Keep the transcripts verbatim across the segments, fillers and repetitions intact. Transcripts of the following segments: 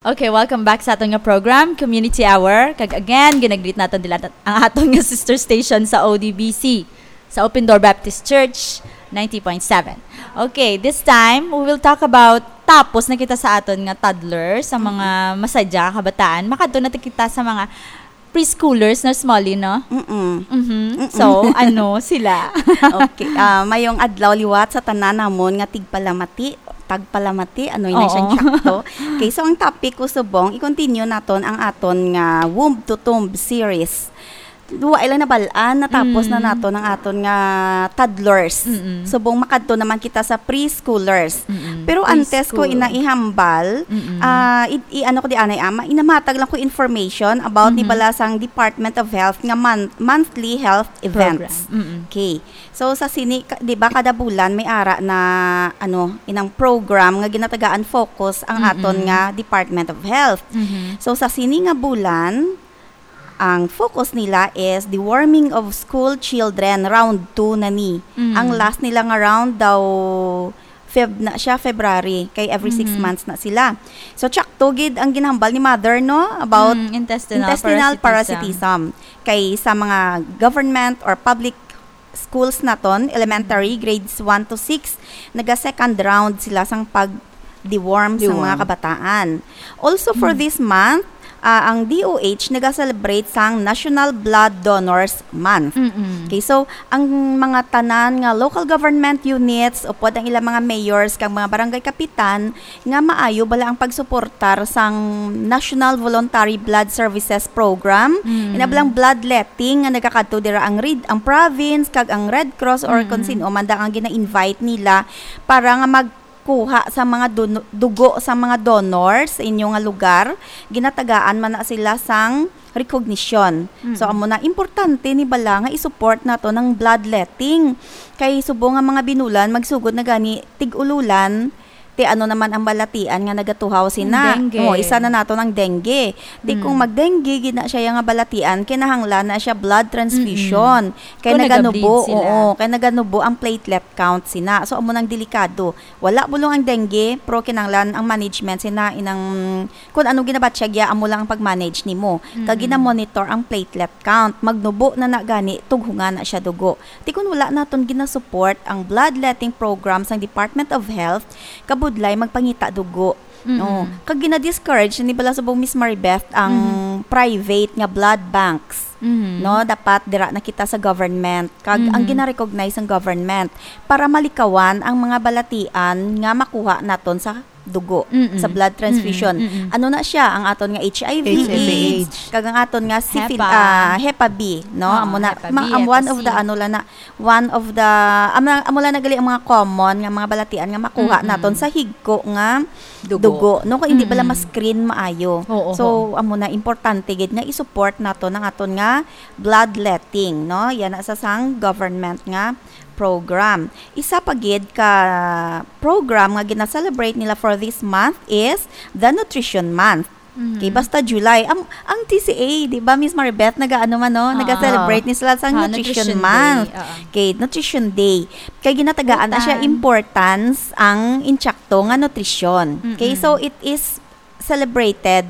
Okay, welcome back sa aton nga program, Community Hour. Kag again, ginagreet naton dila ang aton nga sister station sa O D B C, sa Open Door Baptist Church, ninety point seven. Okay, this time, we will talk about, tapos na kita sa aton nga toddler, sa mga masadya nga kabataan. Makadto na ta kita sa mga preschoolers, Nurse Molly, no? Mm-mm. Mhm. Mm-mm. So, ano sila? Okay. Ah, mayong adlaw liwat sa tanan namon nga tigpalamati, tagpalamati, ano yun Oo. siyang tsakto? Okay, so ang topic ko subong, i-continue naton ang aton nga womb to tomb series. Duwa lang nabalaan, natapos na Mm. naton ang aton nga toddlers. Mm-mm. Subong makadto naman kita sa preschoolers. Mm-mm. Pero antes ko Preschool. ina ihambal, Mm-mm. ah, i-, i-, ano ko di anay ama, inamatag lang ko information about ni Mm-hmm. bala sang Department of Health nga mon-, monthly health events. Program. Mm-mm. Okay. So sa sini, ka-, di ba kada bulan may ara na, ano, inang program nga ginatagaan focus ang Mm-mm. aton nga Department of Health. Mm-hmm. So sa sini nga bulan, ang focus nila is deworming of school children, round two na ni. Mm. Ang last nila nga round daw Feb na siya, February, kay every six Mhm. months na sila. So, tsakto gid ang ginhambal ni mother, no, about Mm, intestinal intestinal parasitism. parasitism. Kay sa mga government or public schools naton, elementary, grades one to six, naga second round sila sang pag-deworm sa Deworm. mga kabataan. Also, for Mm. this month, ah, ang D O H naga-celebrate sang National Blood Donors Month. Mm-mm. Okay, so, ang mga tanan nga local government units, upod ang ilang mga mayors, kag mga barangay kapitan, nga maayo bala ang pagsuportar sang National Voluntary Blood Services Program, Mm. ina balang bloodletting nga nagakadto dira ang Red, ang province, kag ang Red Cross, or kung Mm. sino man da ang gina-invite nila para nga magkuha sa mga dun-, dugo sa mga donors sa inyo nga lugar, ginatagaan man na sila sang recognition. So, Mm. amo na, importante ni bala nga i-support nato ng bloodletting. Kay subong nga mga binulan, magsugod na gani, tig-ululan, ti ano naman ang balatian nga nagatuhaw sina? Ang dengue. Oo, isa na nato ng dengue. Ti kung Mm. mag-dengue gid na siya nga balatian, kinahanglan na siya blood transfusion. Mm-mm. Kay Kung naganubo, nagableed sila. Oo, kay naganubo ang platelet count sina. So, amo nang delikado. Wala bulong ang dengue, pero kinahanglan ang management sina inang kung ano ginabatyag ya, amo lang ang pag-manage nimo. Kag Mm. gina-monitor ang platelet count. Magnubo na na gani, tughungan na siya dugo. Ti kun wala naton ginasupport ang bloodletting program sang Department of Health, kabudlay magpangita dugo. Mm-mm. No? Kag gina-discourage ni bala subong Miss Maribeth ang Mm-hmm. private nga blood banks. Mm-hmm. No, dapat dira na kita sa government. Kag ang Mm-hmm. gina-recognize ang government para malikawan ang mga balatian nga makuha naton sa dugo, Mm-mm. sa blood transfusion. Mm-mm. Ano na siya? Ang aton nga H I V, H I V AIDS, AIDS. Kag ang aton nga syphil-, Hepa. ah, Hepa B, no? Oo, Amo na, Hepa B, ma-, am-, Hepa one of C. the, ano lang na, one of the, amo, amo lang na gali ang mga common nga mga balatian nga makuha Mm-mm. naton sa higko nga Dugo. dugo, no? Kung hindi bala Mm-mm. ma-screen maayo. Oo, So, oo. amo na, importante gid nga i-support naton ang aton nga bloodletting, no? Yan na sa sang government nga program. Isa pa gid ka program nga gina-celebrate nila for this month is the Nutrition Month. Mhm. Okay, basta July. Ang, ang T C A, di ba, Miss Maribeth, nag-aano man, no? Ah. Nag-celebrate ni sila sa Ah, Nutrition Nutrition Month. Day, ah. Okay, Nutrition Day. Kay ginatagaan na siya Utan. importance ang intsakto nga nutrisyon. Okay, Mm-mm. so it is celebrated,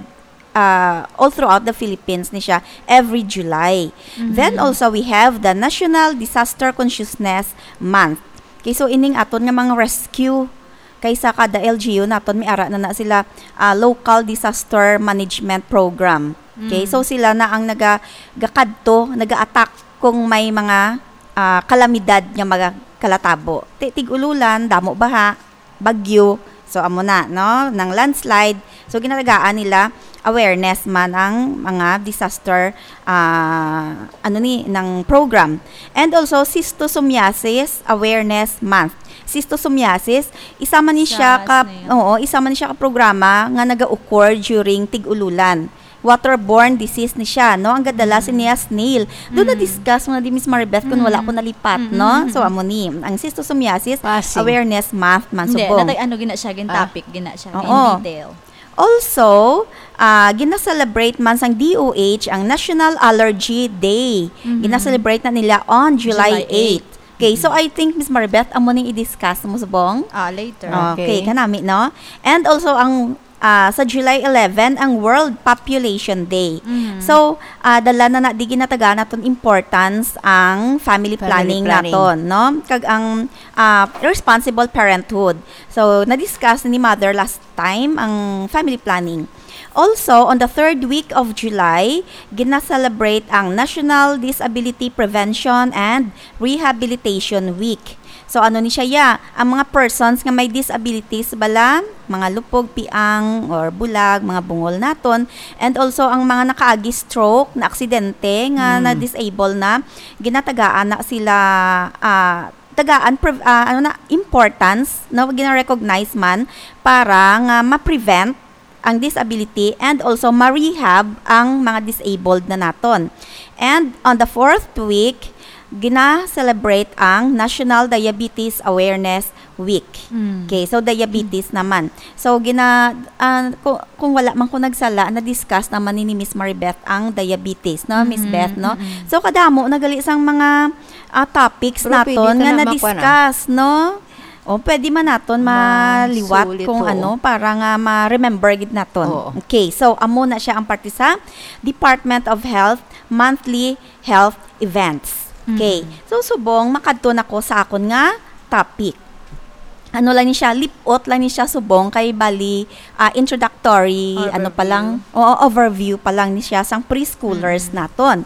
ah, all throughout the Philippines ni siya every July. Mhm. Then also, we have the National Disaster Consciousness Month. Okay, so ining aton nga mga rescue, kay sa kada L G U naton, may ara na na sila, ah, Local Disaster Management Program. Okay, Mm. so sila na ang naga-, gakadto, naga-attack kung may mga, ah, kalamidad nga magakalatabo. Ti-, tig-ululan, damo baha, bagyo. So, amo na, no? Nang landslide. So, ginatagaan nila awareness man ang mga disaster, ah, ano ni, ng program. And also, Schistosomiasis Awareness Month. Schistosomiasis, isa man ni siya Sa ka, snail. oo, isa man ni siya ka programa nga naga-occur during tig-ululan. Waterborne disease ni siya, no? Ang gadala Mm. niya snail. Doon Mm. na-discuss mo na di, Miss Maribeth, kung wala Mm. ko nalipat, Mm, no? mm, So, mm. amo ni, ang Schistosomiasis Passing. Awareness Month man Hindi, subong. natay ano gina siya, gin Ah. topic gina siya, Oo. in detail. Also, ah, gina-celebrate man sang D O H ang National Allergy Day. Mhm. Gina-celebrate na nila on July July eight. eight. Okay, so Mhm. I think, Miss Maribeth, amo ning i-discuss mo subong? Ah, later. Okay, Okay. kanami, no? And also, ang ah, sa July eleven ang World Population Day. Mhm. So, ah, dala na na di ginatagaan naton importance ang family Family planning planning. naton, no? Kag ang, ah, responsible parenthood. So, na-discuss ni Mother last time ang family planning. Also, on the third week of July, gina-celebrate ang National Disability Prevention and Rehabilitation Week. So, ano ni siya, ya? Ang mga persons nga may disabilities bala, mga lupog, piang, or bulag, mga bungol naton, and also ang mga nakaagi stroke, na aksidente, nga Mm. na-disable na, ginatagaan na sila, ah, tagaan, prev-, ah, ano na, importance, no? Gina-recognize man para nga ma-prevent ang disability and also ma-rehab ang mga disabled na naton. And on the fourth week, gina-celebrate ang National Diabetes Awareness Week. Mm. Okay, so diabetes naman. So, gina-, ah, ku-, kung wala man ko nagsala, na-discuss naman ni, ni Miss Maribeth ang diabetes, no, Miss Mm, Beth, no? mm. So, kadamo na gali sang mga, ah, topics Pero pwede naton ta nga na makuha na. na-discuss, no? O, pwede man naton maliwat Masulit, kung oo. ano, para nga ma-remember gid naton. Oo. Okay, so amo na siya ang parte sa Department of Health monthly health events. Okay. Mm. So, subong makadto na ko sa akon nga topic. Ano lang ni siya, lipot lang ni siya subong kay bali, ah, introductory, ano pa Overview. lang, oo, overview pa lang ni siya sang preschoolers Mm. naton.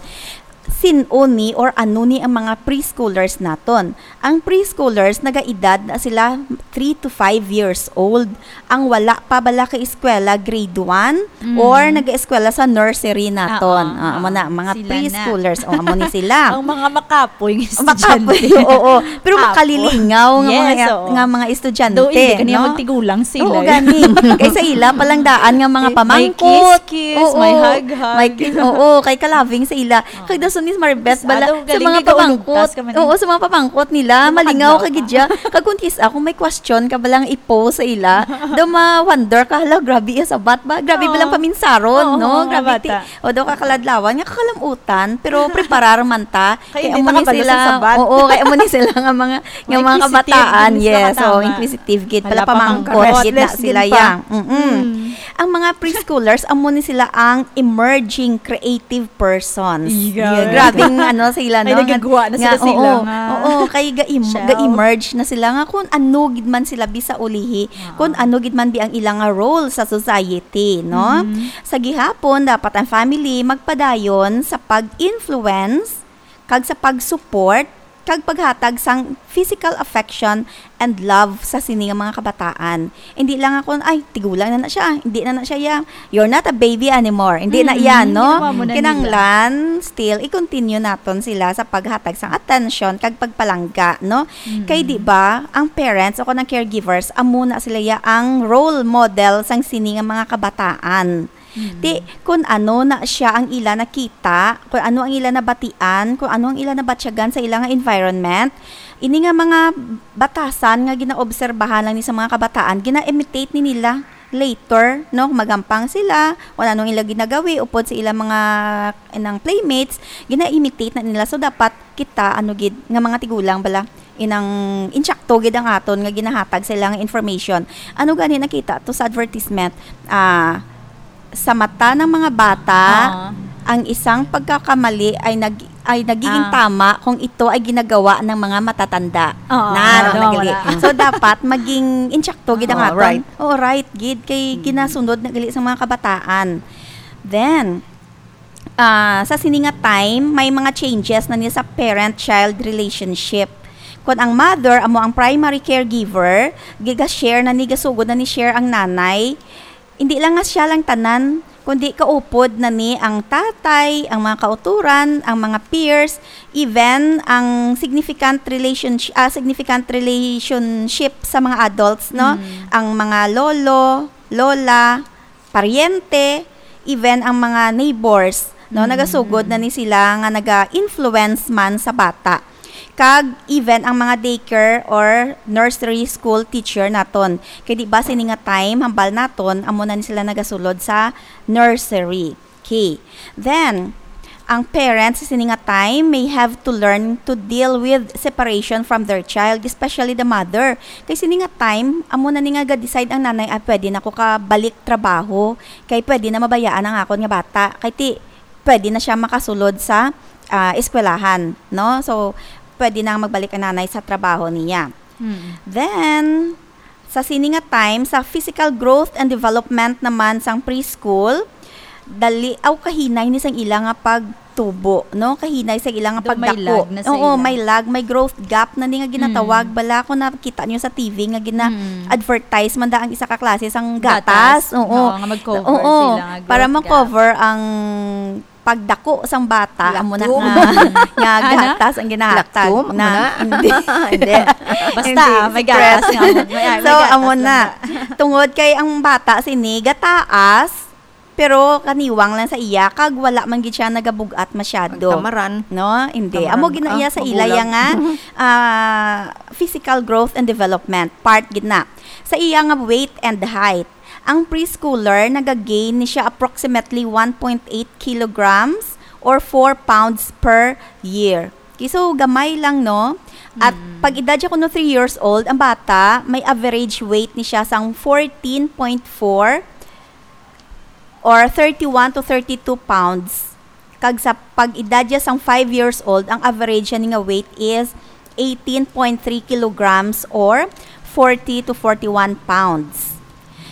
Sin-o ni or ano ni ang mga preschoolers naton? Ang preschoolers, nagaedad na sila three to five years old. Ang wala pa bala ka eskwela, grade one, Mm. or nag-eskwela sa nursery naton. Oo, Ah, amo oo. na, mga Sila na. preschoolers. O, amo ni sila. Ang mga makapoy nga Ang makapoy, estudyante. oo. Pero Apo. makalilingaw nga mga, Yes, oo. nga mga estudyante, Though, hindi ka niya no? magtigulang sila, Oo, eh. gani. Kay sa ila pa lang daan nga mga May, may pamangkot. kiss-kiss, Oo. may hug-hug. May kiss, oo, kay kalabing sa ila. Oo. Kag dason, Miss Maribeth, Miss bala, Ado, sa galing mga ni kaulog, pamangkot. tas ka man. Oo, sa mga pamangkot nila, Ano malingaw kadlaw ka gid ka? Siya. Kag kung kis-, ako may question ka balang i-pose sa ila, daw ma-wonder ka, "Hala, grabe iya sabat ba? Grabe Oo. balang paminsaron, Oo, no? mga Grabe ti-, bata. o daw kakaladlawan, nga kakalamutan, pero preparar man ta." Kay Kay hindi amo ta ni kabalo sila, sa sabat. oo, kay amo ni sila nga mga, nga Mga mga inquisitive kabataan, gid, Miss yes, Nakatama. oo, inquisitive gid, Hala, pala pamangkot, pamangkot. gid na Lesson sila pa. yang. Mm-mm. Mm. Ang mga preschoolers, amo ni sila ang emerging creative persons. Iya. Iya, grabing ano sila, Ay, no? nagagawa na Nga, sila, sila oo, nga. oo, kay ga-em-, Shout. ga-emerge na sila nga kung ano gid man sila bisa ulihi, Ah. kung ano gid man bi ang ilang nga role sa society, no? Mm. Sa gihapon, dapat ang family magpadayon sa pag-influence kag sa pag-support kag paghatag sang physical affection and love sa sini nga mga kabataan. Hindi lang ako, "Ay, tigulang na na siya, hindi na na siya, ya. You're not a baby anymore." Hindi na Mm, yan, no? ginawa mo na nila. Kinahanglan, still, i-continue naton sila sa paghatag sang attention kag pagpalangga, no? Mm. Kay di ba, ang parents o kung ang caregivers, amo na sila ya ang role model sang sini nga mga kabataan. Mm. Ti, kung ano na siya ang ila nakita, kung ano ang ila nabatian, kung ano ang ila nabatyagan sa ila nga environment, ini nga mga batasan nga ginaobserbahan lang ni sa mga kabataan, gina-imitate ni nila later, no? Magampang sila, kung ano ang ila ginagawi, upod sa ila mga, inang playmates, gina-imitate na nila. So, dapat kita, ano gid, nga mga tigulang bala, inang insakto gid ang aton nga ginahatag sa ilang information. Ano gani nakita to sa advertisement? Ah, sa mata ng mga bata, Oo. ang isang pagkakamali ay nag-, ay nagiging Ah. tama kung ito ay ginagawa ng mga matatanda. Oo, Na, ano, ano, wala. nagali. So, dapat maging insakto gid ang Oo, aton. right. Oo, right gid. Kay Mm. ginasunod na gali sa mga kabataan. Then, ah, sa sini nga time, may mga changes na ni sa parent-child relationship. Kung ang mother amo ang primary caregiver, giga-share na ni, gasugod na ni share ang nanay. Hindi lang nga siya lang tanan, kundi kaupod na ni ang tatay, ang mga kauturan, ang mga peers, even ang significant relationsh-, ah, significant relationship sa mga adults, no? Mm. Ang mga lolo, lola, paryente, even ang mga neighbors, no, Mm. nagasugod na ni sila nga naga-influence man sa bata. Kag even ang mga daycare or nursery school teacher naton. Kay di ba sini nga time, hambal naton, amo na ni sila nagasulod sa nursery. Okay. Then, Ang parents sa sini nga time may have to learn to deal with separation from their child, especially the mother. Kay sini nga time, amo na ni nga ga-decide ang nanay, "Ah, pwede na ko ka balik trabaho, kay pwede na mabayaan ang akon nga bata." Kay ti, pwede na siya makasulod sa, ah, eskwelahan, no? So, pwede na magbalik ang nanay sa trabaho niya. Mm. Then, sa sini nga time, sa physical growth and development naman sang preschool, dali aw kahinay ni sang ila nga pagtubo, no? Kahinay sa ila nga pagdako. Daw may lag na sa ila. Oo, may lag, may growth gap na ni nga ginatawag. Mm. Bala, kung nakita niyo sa T V nga gina-, Mm. advertise man da ang isa ka klase sang gatas. Gatas. Oo. Oo, nga mag-cover Oo, sila nga para growth gap. Ma-cover ang pagdako sang bata, amo na Lactum. nga, nga Ana? Gatas ang ginahatag Lactum, na, amo na? Hindi. Hindi. Basta, Hindi, may secret. Gatas nga, may, may So, gatas amo lang na. Na. Tungod kay ang bata sini gataas, pero kaniwang lang sa iya, kag wala man gid siya nagabug-at masyado. Ang tamaran. No? Hindi. Tamaran, Amo gid na ah, iya sa magulang. Ilaya nga, ah, physical growth and development, part gid na. Sa iya nga weight and height, ang preschooler, naga-gain ni siya approximately one point eight kilograms or four pounds per year. Okay, so gamay lang, no? At Mm. Pag edad siya kuno three years old, ang bata, may average weight ni siya sang fourteen point four or thirty-one to thirty-two pounds. Kag sa pag-edad niya sang five years old, ang average niya nga weight is eighteen point three kilograms or forty to forty-one pounds.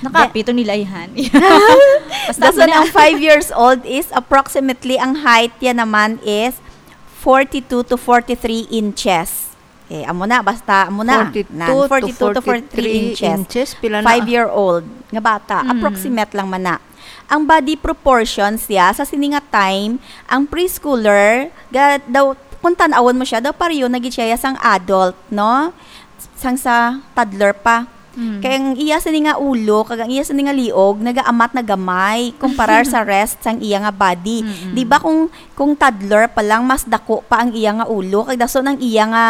Nakapito nila ihan. Basta Dason amo na. Ang five years old is approximately, ang height niya naman is forty-two to forty-three inches. Okay, amo na, basta amo na. Forty-two Nan, to forty-two to forty-three forty-three inches. Inches, pila na? Five-year-old nga bata, Mm. approximate lang man na. Ang body proportions niya, sa sini nga time, ang preschooler, ga-, daw, kung tan-awon mo siya, daw pareho na gid siya sang adult, no? Sang sa toddler pa. Mm. Kay ang iya sini nga ulo, kag ang iya sini nga liog, nagaamat na gamay, kumparar sa rest sang iya nga body. Mm-mm. Di ba kung, kung toddler pa lang, mas dako pa ang iya nga ulo, kag dason ang iya nga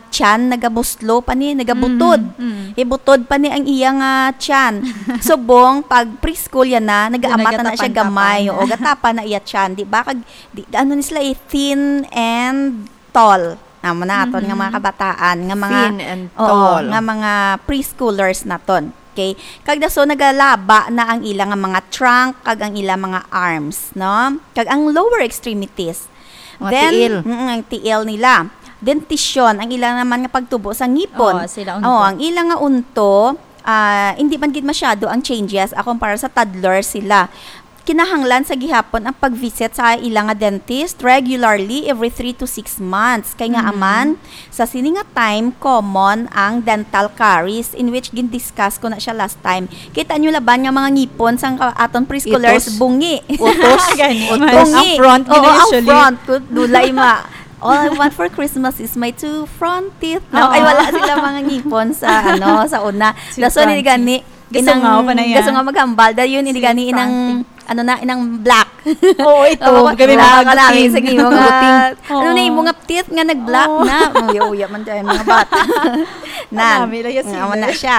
tiyan, nagabuslo pa ni, nagabutod. Mm, mm. Ibutod pa ni ang iya nga tiyan. Subong, pag preschool yan na, nagaamat na, na siya Nagatapang-tapang gamay, na. O, gatapa na iya tiyan, di ba? Kag, di, ano ni sila, eh, thin and tall. Amo na aton nga mga Mm-hmm. kabataan, nga mga, Thin and oo, tall. Nga mga preschoolers naton. Okay? Kag dason nagalaba na ang ila nga mga trunk, kag ang ila mga arms, no? Kag ang lower extremities. Mga Then, tiil. Mm, ang tiil nila. Dentition, ang ila naman nga pagtubo sa ngipon. Oo, sila unto. Oo, ang ila nga unto, ah, hindi man gid masyado ang changes, ah, kumpara sa toddler sila. Kinahanglan sa gihapon ang pag-visit sa ila nga dentist regularly, every three to six months. Kay nga Mhm. aman, sa sini nga time, common ang dental caries, in which gin-discuss ko na siya last time. Kita nyo laban nga mga ngipon sang ka-, aton preschoolers, Itos. Bungi. Utos. Gani. Utos. Bungi. Ang front, Oo, gina, ang usually. Front. Kut-, dulay ma. "All I want for Christmas is my two front teeth." No? Oo. Ay, wala sila mga ngipon sa, ano, sa una. Two Dason, front gani, teeth. Gasungaw inang pa na yan. Gasungaw maghambal. Dahil yun, hindi Sweet gani inang, front teeth. Ano na, inang black. Oo, ito. Oo, kami mga marami good teeth. Sa imo nga, Good teeth. Ano na, Oo. Imo nga teeth nga nag-black Oo. Na. Uya-uya man tayo, mga bata. Nan. Marami lang yung Nga, wala siya.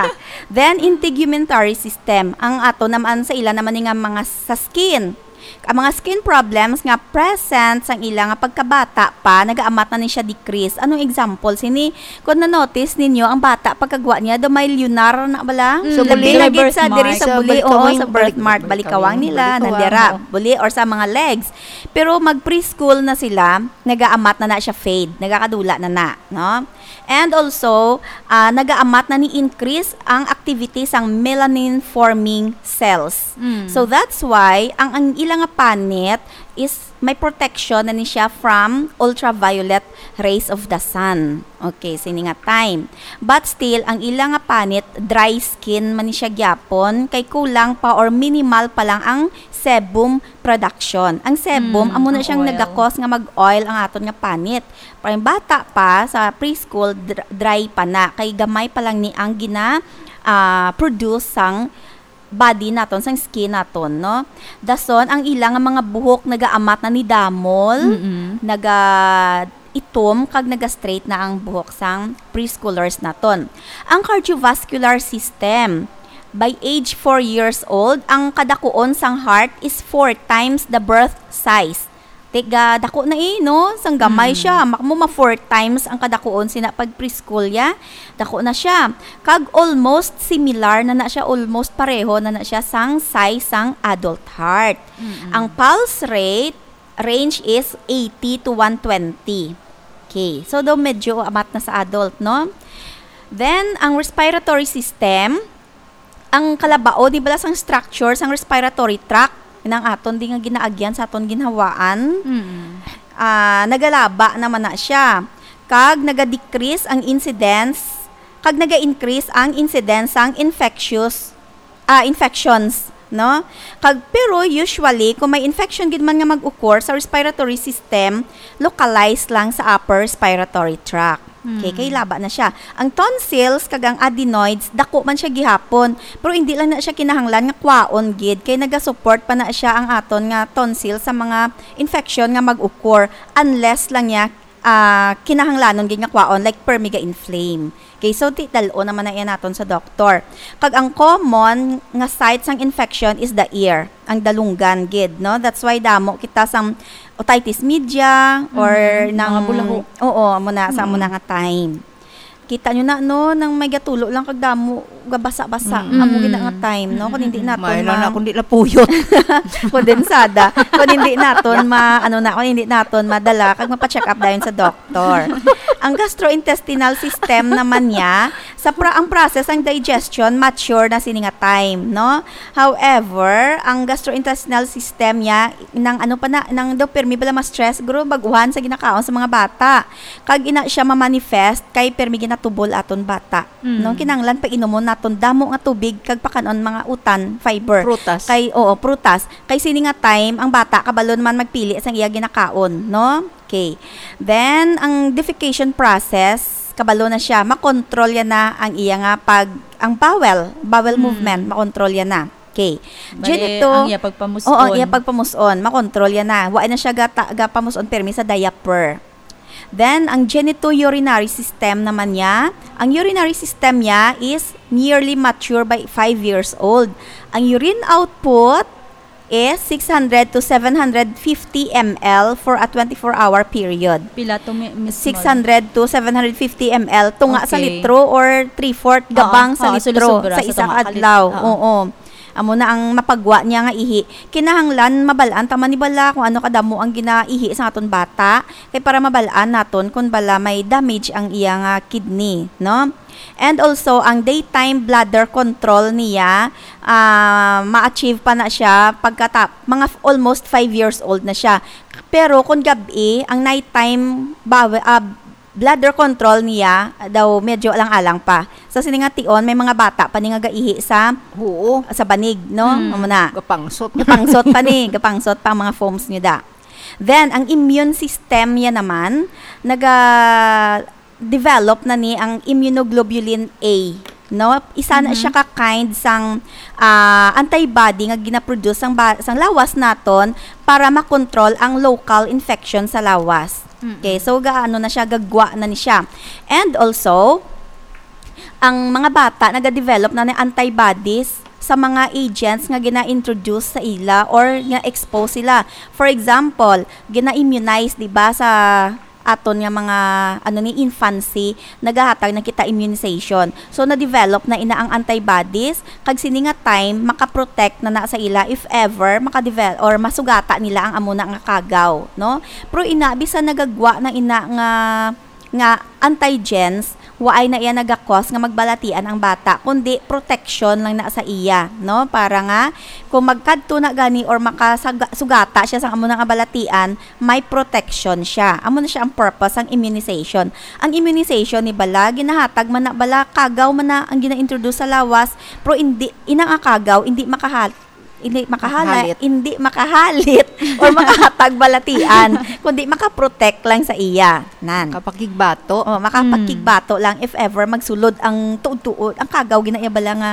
Then, integumentary system. Ang ato naman sa ila naman ni nga mga sa skin. Ang mga skin problems nga present sang ila nga pagkabata pa, nagaamat na ni siya decrease. Anong example sini? Kung na-notice ninyo, ang bata pagkagwa niya, daw may lunar na bala. Mm. Sa Labi buli. Na gid sa diri sa Sa buli, oo, balikawang, sa birthmark, balik-, balikawang nila, balikawang, nandira, oo. Buli or sa mga legs. Pero mag preschool na sila, nagaamat na na siya fade, nagakadula na na, no? And also, ah, nagaamat na ni increase ang activity sang melanin forming cells. Mm. So that's why ang, ang ila nga panit is may protection na ni siya from ultraviolet rays of the sun. Okay, sini nga time. But still, ang ila nga panit, dry skin man ni siya gyapon, kay kulang pa or minimal pa lang ang sebum production. Ang sebum, Mm, amo na ang siyang oil. Nagakos nga mag-oil ang aton nga panit. Pero ang bata pa, sa preschool, dr-, dry pa na. Kay gamay pa lang ni ang gina, ah, produce sang body naton, sang skin naton, no? Dason, ang ila nga mga buhok nagaamat na ni damol, Mm-mm. naga itom, kag naga-straight na ang buhok sang preschoolers naton. Ang cardiovascular system, by age four years old, ang kadakuon sang heart is four times the birth size. Tiga, dako na eh, no? Sang gamay Mm. siya. Mak-, mo ma four times ang kadakuon sina pag preschool ya. Dako na siya. Kag almost similar na na siya, almost pareho na na siya sang size sang adult heart. Mm-mm. Ang pulse rate range is eighty to one twenty. Okay. So, daw medyo amat na sa adult, no? Then, ang respiratory system, ang kalabao, di bala sang structure sang respiratory tract, nang aton di nga ginaagyan sa aton ginhawaan, Mm. ah, nagalaba naman na siya. Kag naga-decrease ang incidence, kag naga-increase ang incidence sang infectious, ah, infections, no? Kag, pero usually, kung may infection gid man nga mag-occur sa respiratory system, localized lang sa upper respiratory tract. Okay, Hmm. kay laba na siya. Ang tonsils kag ang adenoids, dako man siya gihapon, pero hindi lang na siya kinahanglan nga kwaon gid, kay naga-support pa na siya ang aton nga tonsil sa mga infection nga mag-occur, unless lang niya, ah, kinahanglanon gid nga kwaon, like permi ga-inflame. Okay, so di dal-o naman na iya naton sa doktor. Kag ang common nga site sang infection is the ear, ang dalunggan gid, no? That's why damo kita sang otitis media or Mm, nang mga bulaho. Oo, amo na sa amo na Mm. nga time. Kita nyo na, no, nang may gatulo lang kag damo, gabasa-basa. Mm. Amo gid na nga time, no? Kung hindi Mm. naton May lang ma- na akong di lapuyot. Kondensada. Kung hindi naton ma-, ano na, kung hindi naton madala, kag mapa-check up dayon sa doktor. Ang gastrointestinal system naman niya, sa pra-, ang process, ang digestion, mature na sini nga time, no? However, ang gastrointestinal system niya, nang ano pa na, nang daw permi bala ma-stress, guro, baguhan sa ginakaon sa mga bata. Kag ina siya ma-manifest kay permi ginatubol aton bata. Mm. No, kinahanglan painomon naton damo nga tubig kag pakanon mga utan, fiber. Prutas. Kay, oo, prutas. Kay sini nga time, ang bata kabalo naman magpili sang iya ginakaon, no? Okay. Then, ang defecation process, kabalo na siya, makontrol yan na ang iya nga pag, ang bowel, bowel Mm. movement, makontrol yan na. Okay. Bali, Genito-, ang iya pagpamus-on. Oo, ang iya pagpamus-on, makontrol yan na. Wa na siya gata-, gapamus-on permi sa diaper. Then, ang genitourinary system naman niya, ang urinary system niya is nearly mature by five years old. Ang urine output is six hundred to seven hundred fifty M L for a twenty-four hour period. Pila to, mi-, Miss Mol? Six hundred to seven hundred fifty M L, tunga sa Okay. litro or three-fourth Oo, gabang sa oo, litro sulusubra sa sa isa tunga ka ka lit-, adlaw. oo. Oo. Amo na ang mapagwa niya nga ihi. Kinahanglan mabal-an ta man ni bala kung ano kadamo ang ginaihi sa aton bata, kay para mabal-an naton kung bala may damage ang iya nga kidney, no? And also, ang daytime bladder control niya, ah, ma-achieve pa na siya pagkata-, mga f-, almost five years old na siya. Pero kung gab-i, ang nighttime bawe-, ah, bladder control niya daw medyo alang-alang pa. Sa sini nga tion, may mga bata pa ni nga gaihi sa, Oo. sa banig, no? Mm. Amo na. Gapangsot. Gapangsot pa ni, gapangsot pa ang mga foams niya da. Then, ang immune system niya naman, naga-develop na ni ang immunoglobulin A, no? Isa na Mhm. siya ka kind sang, ah, antibody nga ginaproduce sang ba-, sang lawas naton para makontrol ang local infection sa lawas. Mm-mm. Okay, so gaano na siya, gagwa na ni siya. And also, ang mga bata nagadevelop na ni antibodies sa mga agents nga gina-introduce sa ila or nga expose sila. For example, gina-immunize, di ba, sa aton nga mga, ano ni, infancy, nagahatag na kita immunization. So, na-develop na ina ang antibodies, kag sini nga time, makaprotect na na sa ila if ever makadevel-, or masugata nila ang amo na nga kagaw, no? Pero ina, bisan nagagwa na ina nga, nga antigens, waay na iya nagakos nga magbalatian ang bata, kundi protection lang na sa iya, no? Para nga, kung magkadto na gani or makasaga-, sugata siya sa amo na nga balatian, may protection siya. Amo na siya ang purpose sang immunization. Ang immunization ni bala, ginahatag man na bala, kagaw man na ang gina-introduce sa lawas, pero hindi, ina nga kagaw, hindi makahat-, hindi makahala-, Makahalit. hindi makahalit or makahatag balatian, kundi makaprotect lang sa iya. Nan. Makapakigbato. Oh, makapakigbato Mm. lang if ever magsulod ang tuod-tuod, ang kagaw gina iya bala nga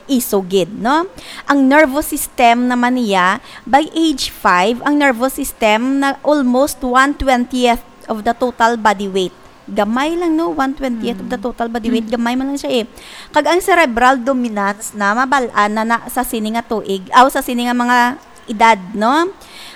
isugid, no? Ang nervous system naman niya, by age five, ang nervous system na almost one twentieth of the total body weight. Gamay lang, no? One twentieth of the Mm. total body weight. Mm. Gamay man lang siya, eh. Kag ang cerebral dominance na mabal-an na, na sa sini nga tuig, aw, sa sini nga mga edad, no?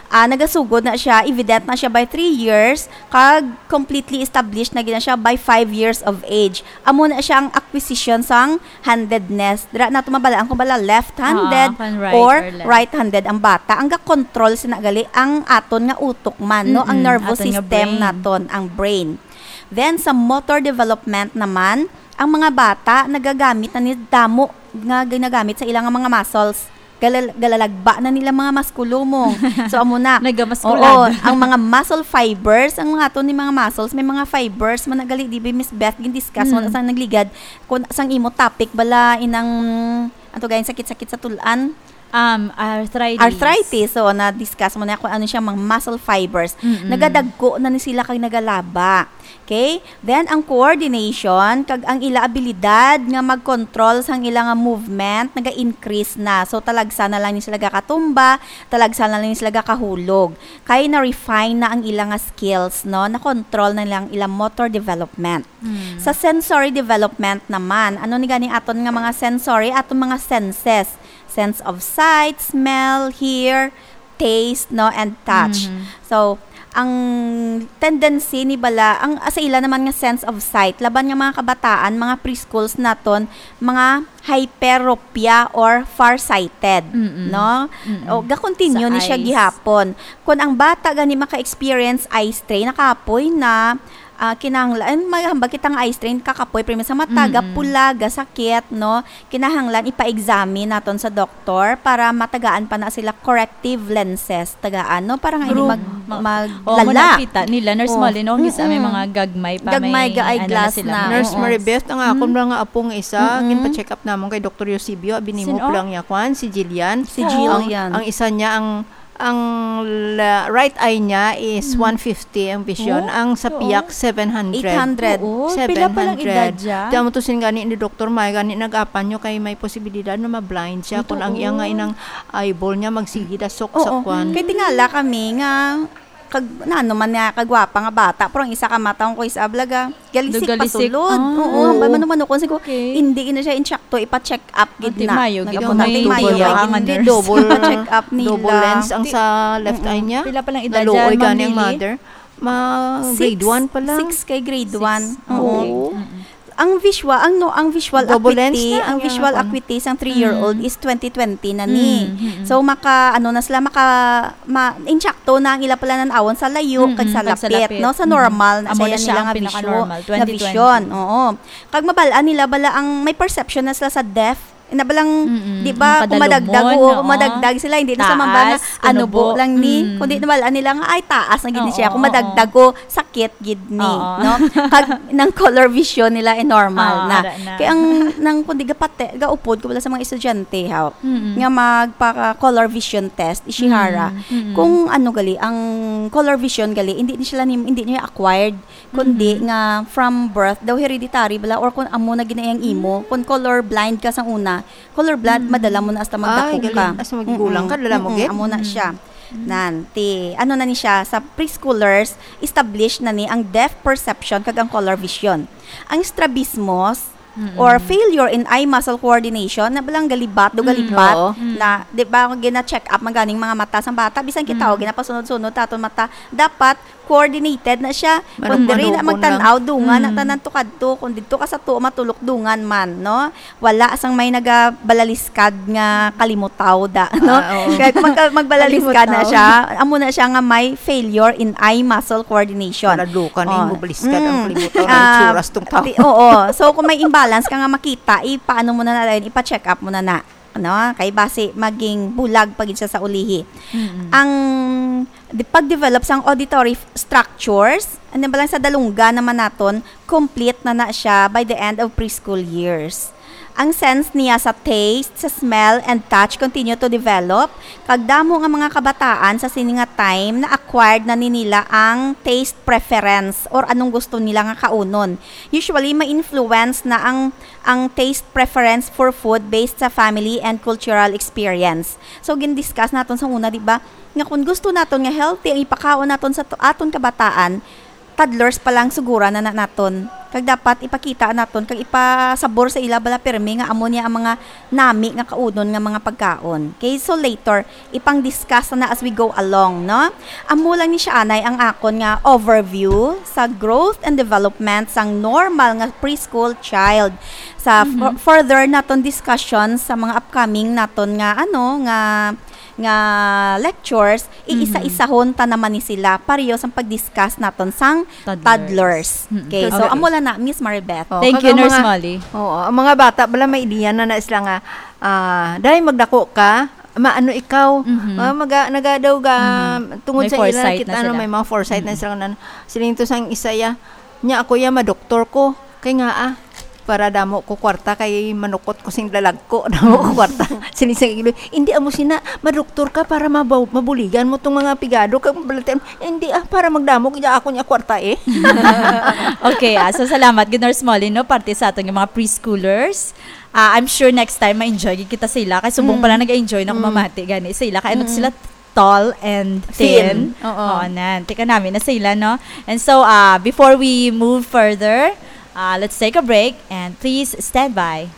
Ah, nagasugod na siya, evident na siya by three years, kag completely established na gid na siya by five years of age. Amo na siya ang acquisition sang handedness. Dira nato mabalaan kung bala left-handed Ah, kan right or or left. right-handed ang bata. Ang ga-control sina gali ang aton nga utok man, no? Ang Mm-mm, nervous aton nga system brain. naton, ang brain. Then, sa motor development naman, ang mga bata nagagamit na ni damo nga ginagamit sa ilang mga muscles. Galal-, galalagba na nila mga maskulumong. So, amo na. Nagamaskulad. Oo, ang mga muscle fibers, ang mga aton ni mga muscles, may mga fibers man na gali, di ba, Miss Beth, gin-discuss mo na Mm. sa nagligad, kung sang imo topic bala, inang, ato gayon, sakit-sakit sa tulan. Um, arthritis. Arthritis. So, na-discuss mo na kung ano siya, mga muscle fibers. Mm-mm. Nagadagko na ni sila kag nagalaba. Okay? Then, ang coordination, kag ang ila abilidad nga mag-control sang ila nga movement, naga-increase na. So, talagsa na lang ni sila gakatumba, talagsa na lang ni sila gakahulog. Kay na-refine na ang ila nga skills, no? Na-control na lang ila motor development. Mm. Sa sensory development naman, ano ni gani aton nga mga sensory? Aton mga senses. Sense of sight, smell, hear, taste, no, and touch. Mhm. So, ang tendency ni bala, ang, ah, sa ila naman nga sense of sight, laban nga mga kabataan, mga preschools naton, mga hyperopia or farsighted, Mm-mm. no? Mm-mm. O, ga-continue Sa ni siya eyes. gihapon. Kung ang bata gani maka-experience eye strain, nakapoy na, ah, kinahanglan, may hambag kita nga eye strain, kakapoy, pero sa mata, Mm-mm. gapula, gasakit, no? Kinahanglan ipa-examine naton sa doktor para matagaan pa na sila corrective lenses, tagaan, no? Para nga hindi Bro, mag-, ma-, maglala. Oo, mo nakita nila, Nurse Oh. Molly, no? Kisa may Mm-mm. mga gagmay pa, Gagmay may ga ano na eyeglass sila. na. Nurse Oo. Maribeth, ang akon Mm. lang nga apo nga isa, Mm-mm. ginpa-check up namon kay Doktor Eusebio, abi nimo Sino? pala niya, kwan, si Jillian. Si Ang, Jillian. ang isa niya, ang, ang la-, right eye niya is Mm. one fifty ang vision. Oh, Ang sa oo. piyak, seven hundred. Eight hundred. Oo, pila pa lang Seven hundred. edad siya? Tiyan mo to sin gani ni Doktor May, gani nag-apan nyo kay may posibilidad na ma-blind siya. Ito, Kung ang iyang nga oo. inang eyeball niya, magsigi dasok sa Oo. kwan. Kay tingala kami nga, kag, nano man nga, kagwapa nga bata, pero ang isa ka mata, kung kuis ablaga, galisik Nagalisik. pasulod. Ah. Oo, ang manumano ko, sigo, Okay. hindi na siya insakto, ipa-check up gid Ate na. Mayo, gid Nagpunta may ate Mayo, double kay ang hindi, nurse. double, Ipa-check up nila. double lens ang Ti-, sa left eye mm-mm. niya. Pila pa lang edad Naluoy dyan, Ma'am gani ang Lily? mother. Ma, Six. grade one pa lang. Six kay grade Six. one. Oo. Okay. Mm-mm. Ang visual, ang, no, ang visual Double lens acuity, na ang ang visual iyang acuity sang three-year-old Mm. is twenty twenty na ni. Mm, mm, mm. So, maka, ano na sila, maka, ma-, insakto na ang ila pala nan-awon sa layo, Mm, kag sa kag sa lapit, lapit. no? Sa Mm. normal na Amo siya na siya nila ang nga pinaka-normal, vision, na twenty twenty. vision, oo. Kag mabal-an nila bala ang may perception na sila sa depth. Ina balang, Mm-mm. di ba, Ang kung madagdag, kadalumon, oo, oo. kung madagdag sila, hindi na sa mambal nga, Taas, ano, kinubo. bo lang ni, Mm. kundi nabal-an nila nga, ay, taas na gid ni siya. Oo, Kung oo. madagdag ko, sakit gid ni, Oo. no? Kag nang color vision nila, eh, normal Oo, na. ara na. Kaya ang, nang, kundi gapate, gaupod ko wala sa mga estudyante, ha, Mm-mm. nga magpaka-color vision test, Ishihara. Mm, mm. Kung ano gali, ang color vision gali, hindi ni sila ni, hindi niya acquired, kundi Mm-hmm. nga from birth daw hereditary bala or kung amo na gid na iyang imo, Mm. kung color blind ka sa una, color blind, Mm. madala mo na hasta Ay, magdako gali. ka. Hasta maggulang ka, Mm-mm. dala mo Mm-mm. gid? Amo na Mm. siya. Mm. Nan, ti, ano na ni siya, sa preschoolers, established na ni ang depth perception kag ang color vision. Ang strabismos, Mm-mm. or failure in eye muscle coordination, na balang galibat, do Mm. galibat, Oo. Mm. na, di ba, kung gina-check up man ganing mga mata sang bata, bisan kita, Mm. o, ginapasunod-sunod ta aton mata, dapat coordinated na siya. Kung Marunong diri na manubo magtan-aw, lang. dungan na Mm. tanan to kadto. Kung didto ka sa tuo, matulok dungan man, no? Wala sang may nagabalaliskad nga kalimutaw da, no? Ah, oo. Kaya kung magka-, magbalaliskad na Kalimutaw. siya, amo na siya nga may failure in eye muscle coordination. Paladukan na Oh. yung mabaliskad ang Mm. kalimutaw, Ah, ang itsuras tong tao. ti-, oo. So, kung may imbalance ka nga makita, ipaano mo na na rin, ipa-check up mo na na. Ano, kay basi maging bulag pa gid siya sa ulihi. Mm-mm. Ang di-, pag-develop sang auditory f-, structures, ano ba lang sa dalungga naman naton, complete na na siya by the end of preschool years. Ang sense niya sa taste, sa smell, and touch continue to develop. Kag damo nga mga kabataan sa sini nga time na acquired na ni nila ang taste preference or anong gusto nila nga kaunon. Usually, ma-influence na ang ang taste preference for food based sa family and cultural experience. So, gin-discuss naton sa una, di ba, nga kung gusto naton nga healthy ang ipakaon naton sa to-, aton kabataan, toddlers pa lang sugura na, na naton Kag dapat ipakita naton kag ipasabor sa ila bala pirmi nga amo niya ang mga nami nga kaunon nga mga pagkaon. Okay, so later, ipang-discuss na as we go along, no? Amo lang ni siya anay ang akon nga overview sa growth and development sang normal nga preschool child. Sa fu- Mhm. further naton discussion sa mga upcoming naton nga ano nga nga lectures, Mhm. iisa-isahon ta naman ni sila pareho sang pag-discuss naton sang Toddlers. toddlers. Mm. Okay, so Okay. amo lang na, Miss Maribeth. Oh, Thank kag you, ang Nurse mga, Molly. Oo, ang mga bata bala may ideya na na sila nga, ah, "Day, magdako ka, maano ikaw?" Mhm. Ah, maga-, nagadaw ga, Mhm. tungod May sa ila foresight kita, na ano, sila. may mga foresight na Mm. sila na, siling to sang isa ya, "Nya ako ya, madoktor ko. Kay nga, ah, para damo ko kwarta, kay manukot ko sing lalagko, damo ko kwarta." Siling sa ilo, "Hindi, amo sina, madoktor ka para mabaw-, mabuligan mo tong mga pigado, kag mabalatian." "Hindi, ah, para magdamo kaya ako niya kwarta, eh." Okay, ah, so salamat gid, Nurse Molly, no, parte sa aton nga mga preschoolers. Ah, I'm sure next time ma-enjoy gid kita sa ila, kay subong Mm. pala nag-enjoy na Mm. kumamati gani sa ila, kay ano Mm. sila, tall and thin. Thin. Oo. Oo, nan. Tika namin na sa ila, no? And so, ah, before we move further, ah, let's take a break and please stand by.